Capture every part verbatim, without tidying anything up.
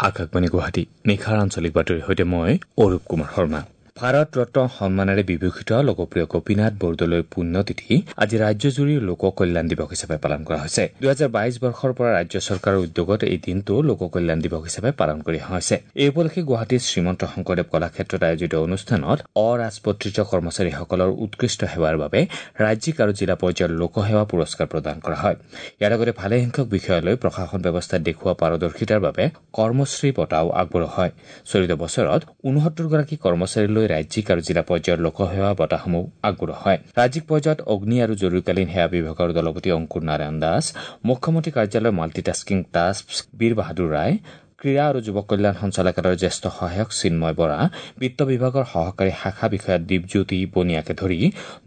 আকাশবাণী গুৱাহাটী, নিশাৰ আঞ্চলিক বাতৰিৰ সৈতে মই অৰূপ কুমাৰ শৰ্মা। ভাৰত ৰত্ন সন্মানেৰে বিভূষিত লোকপ্ৰিয় গোপীনাথ বৰদলৈৰ পুণ্যতিথি আজি ৰাজ্যজুৰি লোক কল্যাণ দিৱস হিচাপে পালন কৰা হৈছে। দুহেজাৰ বাইশ বৰ্ষৰ পৰা ৰাজ্য চৰকাৰৰ উদ্যোগত এই দিনটো লোক কল্যাণ দিৱস হিচাপে পালন কৰি অহা হৈছে। এই উপলক্ষে গুৱাহাটীৰ শ্ৰীমন্ত শংকৰদেৱ কলাক্ষেত্ৰত আয়োজিত অনুষ্ঠানত অৰাজপত্ৰিত কৰ্মচাৰীসকলৰ উৎকৃষ্ট সেৱাৰ বাবে ৰাজ্যিক আৰু জিলা পৰ্যায়ৰ লোকসেৱা পুৰস্কাৰ প্ৰদান কৰা হয়। ইয়াৰ লগতে ভালেসংখ্যক বিষয়ালৈ প্ৰশাসন ব্যৱস্থাত দেখুওৱা পাৰদৰ্শিতাৰ বাবে কৰ্মশ্ৰী বঁটাও আগবঢ়োৱা হয়। চলিত বছৰত ঊনসত্তৰগৰাকী কৰ্মচাৰীলৈ ৰাজ্যিক আৰু জিলা পৰ্যায়ৰ লোকসেৱা বঁটাসমূহ আগবঢ়োৱা হয়। ৰাজ্যিক পৰ্যায়ত অগ্নি আৰু জৰুৰীকালীন সেৱা বিভাগৰ দলপতি অংকুৰ নাৰায়ণ দাস, মুখ্যমন্ত্ৰী কাৰ্যালয়ৰ মাল্টিটাস্কিং টাস্ক বীৰ বাহাদুৰ ৰায়, ক্ৰীড়া আৰু যুৱ কল্যাণ সঞ্চালকালয়ৰ জ্যেষ্ঠ সহায়ক চিন্ময় বৰা, বিত্ত বিভাগৰ সহকাৰী শাখা বিষয়া দীপজ্যোতি বনিয়াকে ধৰি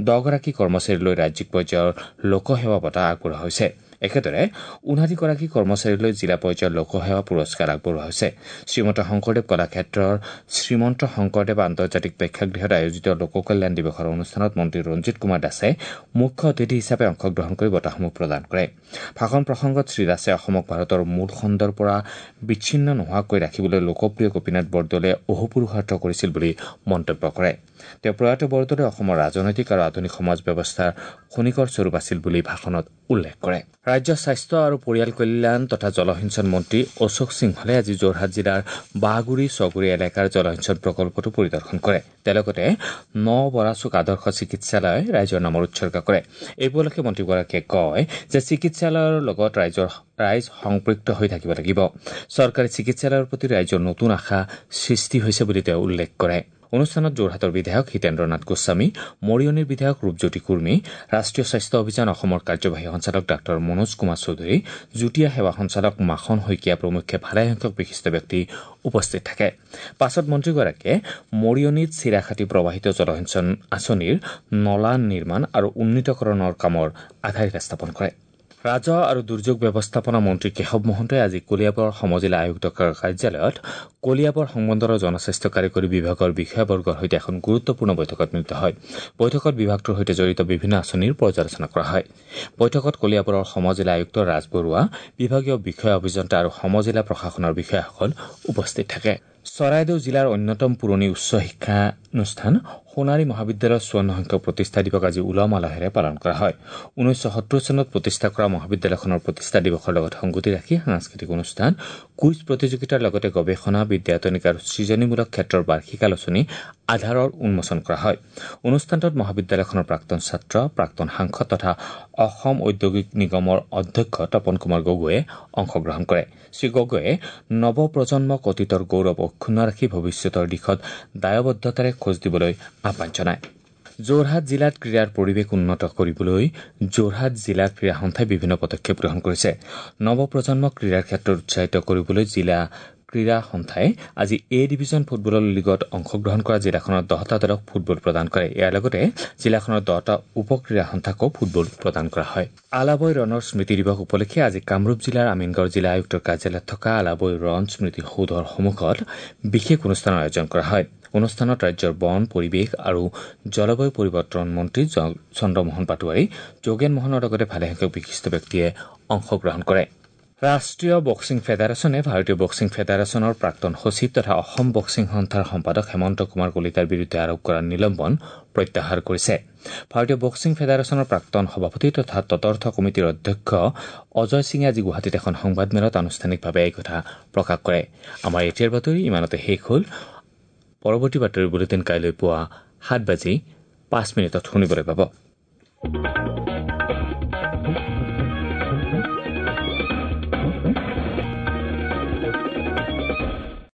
দহগৰাকী কৰ্মচাৰীলৈ ৰাজ্যিক পৰ্যায়ৰ লোকসেৱা বঁটা আগবঢ়োৱা হৈছে। একেদৰে ঊনাষাঠিগৰাকী কৰ্মচাৰীলৈ জিলা পৰ্যায়ৰ লোকসেৱা পুৰস্কাৰ আগবঢ়োৱা হৈছে। শ্ৰীমন্ত শংকৰদেৱ কলাক্ষেত্ৰৰ শ্ৰীমন্ত শংকৰদেৱ আন্তৰ্জাতিক প্ৰেক্ষাগৃহত আয়োজিত লোক কল্যাণ দিৱসৰ অনুষ্ঠানত মন্ত্ৰী ৰঞ্জিত কুমাৰ দাসে মুখ্য অতিথি হিচাপে অংশগ্ৰহণ কৰি বঁটাসমূহ প্ৰদান কৰে। ভাষণ প্ৰসংগত শ্ৰীদাসে অসমক ভাৰতৰ মূল খণ্ডৰ পৰা বিচ্ছিন্ন নোহোৱাকৈ ৰাখিবলৈ লোকপ্ৰিয় গোপীনাথ বৰদলৈয়ে অহোপুৰুষাৰ্থ কৰিছিল বুলি মন্তব্য কৰে। তেওঁ প্ৰয়াত বৰদলৈ অসমৰ ৰাজনৈতিক আৰু আধুনিক সমাজ ব্যৱস্থাৰ খনিকৰ স্বৰূপ আছিল বুলি ভাষণত উল্লেখ কৰে। ৰাজ্যৰ স্বাস্থ্য আৰু পৰিয়াল কল্যাণ তথা জলসিঞ্চন মন্ত্ৰী অশোক সিংহলে আজি যোৰহাট জিলাৰ বাঁহগুৰি ছগুৰি এলেকাৰ জলসিঞ্চন প্ৰকল্পটো পৰিদৰ্শন কৰে। তেওঁ লগতে ন বৰাচুক আদৰ্শ চিকিৎসালয় ৰাইজৰ নামত উৎসৰ্গা কৰে। এই উপলক্ষে মন্ত্ৰীগৰাকীয়ে কয় যে চিকিৎসালয়ৰ লগত ৰাইজৰ ৰাইজ সংপৃক্ত হৈ থাকিব লাগিব। চৰকাৰী চিকিৎসালয়ৰ প্ৰতি ৰাইজৰ নতুন আশা সৃষ্টি হৈছে বুলি তেওঁ উল্লেখ কৰে। অনুষ্ঠানত যোৰহাটৰ বিধায়ক হিতেন্দ্ৰ নাথ গোস্বামী, মৰিয়নিৰ বিধায়ক ৰূপজ্যোতি কুৰ্মী, ৰাষ্ট্ৰীয় স্বাস্থ্য অভিযান অসমৰ কাৰ্যবাহী সঞ্চালক ডাঃ মনোজ কুমাৰ চৌধুৰী, যুটীয়া সেৱা সঞ্চালক মাখন শইকীয়া প্ৰমুখ্যে ভালেসংখ্যক বিশিষ্ট ব্যক্তি উপস্থিত থাকে। পাছত মন্ত্ৰীগৰাকীয়ে মৰিয়নিত চিৰাখাতি প্ৰবাহিত জলসিঞ্চন আঁচনিৰ নলা নিৰ্মাণ আৰু উন্নীতকৰণৰ কামৰ আধাৰশিলা স্থাপন কৰে। ৰাজহ আৰু দুৰ্যোগ ব্যৱস্থাপনা মন্ত্ৰী কেশৱ মহন্তই আজি কলিয়াবৰ সমজিলা আয়ুক্তৰ কাৰ্যালয়ত কলিয়াবৰ সংমণ্ডলৰ জনস্বাস্থ্য কাৰিকৰী বিভাগৰ বিষয়াবৰ্গৰ সৈতে এখন গুৰুত্বপূৰ্ণ বৈঠকত মিলিত হয়। বৈঠকত বিভাগটোৰ সৈতে জড়িত বিভিন্ন আঁচনিৰ পৰ্যালোচনা কৰা হয়। বৈঠকত কলিয়াবৰৰ সমজিলা আয়ুক্ত ৰাজ বৰুৱা, বিভাগীয় বিষয়া অভিযন্তা আৰু সমজিলা প্ৰশাসনৰ বিষয়াসকল উপস্থিত থাকে। চৰাইদেউ জিলাৰ অন্যতম পুৰণি উচ্চ শিক্ষানুষ্ঠান সোণাৰী মহাবিদ্যালয়ৰ চৌৱন্ন সংখ্যক প্ৰতিষ্ঠা দিৱস আজি উলহ মালহেৰে পালন কৰা হয়। ঊনৈছশ সত্তৰ চনত প্ৰতিষ্ঠা কৰা মহাবিদ্যালয়খনৰ প্ৰতিষ্ঠা দিৱসৰ লগত সংগতি ৰাখি সাংস্কৃতিক অনুষ্ঠান, কুইজ প্ৰতিযোগিতাৰ লগতে গৱেষণা, বিদ্যায়তনিক আৰু সৃজনীমূলক ক্ষেত্ৰৰ বাৰ্ষিক আলোচনী আধাৰৰ উন্মোচন কৰা হয়। অনুষ্ঠানটোত মহাবিদ্যালয়খনৰ প্ৰাক্তন ছাত্ৰ, প্ৰাক্তন সাংসদ তথা অসম ঔদ্যোগিক নিগমৰ অধ্যক্ষ তপন কুমাৰ গগৈয়ে অংশগ্ৰহণ কৰে। শ্ৰীগগৈয়ে নৱপ্ৰজন্মক অতীতৰ গৌৰৱ অক্ষুণ্ণ ৰাখি ভৱিষ্যতৰ দিশত দায়বদ্ধতাৰে খোজ দিবলৈ আহ্বান জনায়। যোৰহাট জিলাত ক্ৰীড়াৰ পৰিৱেশ উন্নত কৰিবলৈ যোৰহাট জিলা ক্ৰীড়া সন্থাই বিভিন্ন পদক্ষেপ গ্ৰহণ কৰিছে। নৱপ্ৰজন্মক ক্ৰীড়াৰ ক্ষেত্ৰত উৎসাহিত কৰিবলৈ জিলা ক্ৰীড়া সন্থাই আজি এ ডিভিজন ফুটবলৰ লীগত অংশগ্ৰহণ কৰা জিলাখনৰ দহটা দলক ফুটবল প্ৰদান কৰে। ইয়াৰ লগতে জিলাখনৰ দহটা উপ ক্ৰীড়া সন্থাকো ফুটবল প্ৰদান কৰা হয়। আলাবৈ ৰণৰ স্মৃতি দিৱস উপলক্ষে আজি কামৰূপ জিলাৰ আমিনগাঁও জিলা আয়ুক্তৰ কাৰ্যালয়ত থকা আলাবৈ ৰণ স্মৃতি সৌধৰ সন্মুখত বিশেষ অনুষ্ঠানৰ আয়োজন কৰা হয়। অনুষ্ঠানত ৰাজ্যৰ বন, পৰিৱেশ আৰু জলবায়ু পৰিৱৰ্তন মন্ত্ৰী চন্দ্ৰমোহন পাটোৱাৰী, যোগেন মোহনৰ লগতে ভালেসংখ্যক বিশিষ্ট ব্যক্তিয়ে অংশগ্ৰহণ কৰে। ৰাষ্ট্ৰীয় বক্সিং ফেডাৰেশ্যনে ভাৰতীয় বক্সিং ফেডাৰেশ্যনৰ প্ৰাক্তন সচিব তথা অসম বক্সিং সন্থাৰ সম্পাদক হেমন্ত কুমাৰ কলিতাৰ বিৰুদ্ধে আৰোপ কৰা নিলম্বন প্ৰত্যাহাৰ কৰিছে। ভাৰতীয় বক্সিং ফেডাৰেশ্যনৰ প্ৰাক্তন সভাপতি তথা তদৰ্থ কমিটিৰ অধ্যক্ষ অজয় সিঙে আজি গুৱাহাটীত এখন সংবাদমেলত আনুষ্ঠানিকভাৱে এই কথা প্ৰকাশ কৰে। আমাৰ এতিয়াৰ বাতৰি ইমানতে শেষ হ'ল। পৰৱৰ্তী বাতৰি বুলেটিন কাইলৈ পুৱা সাত বাজি পাঁচ মিনিটত শুনিবলৈ পাব।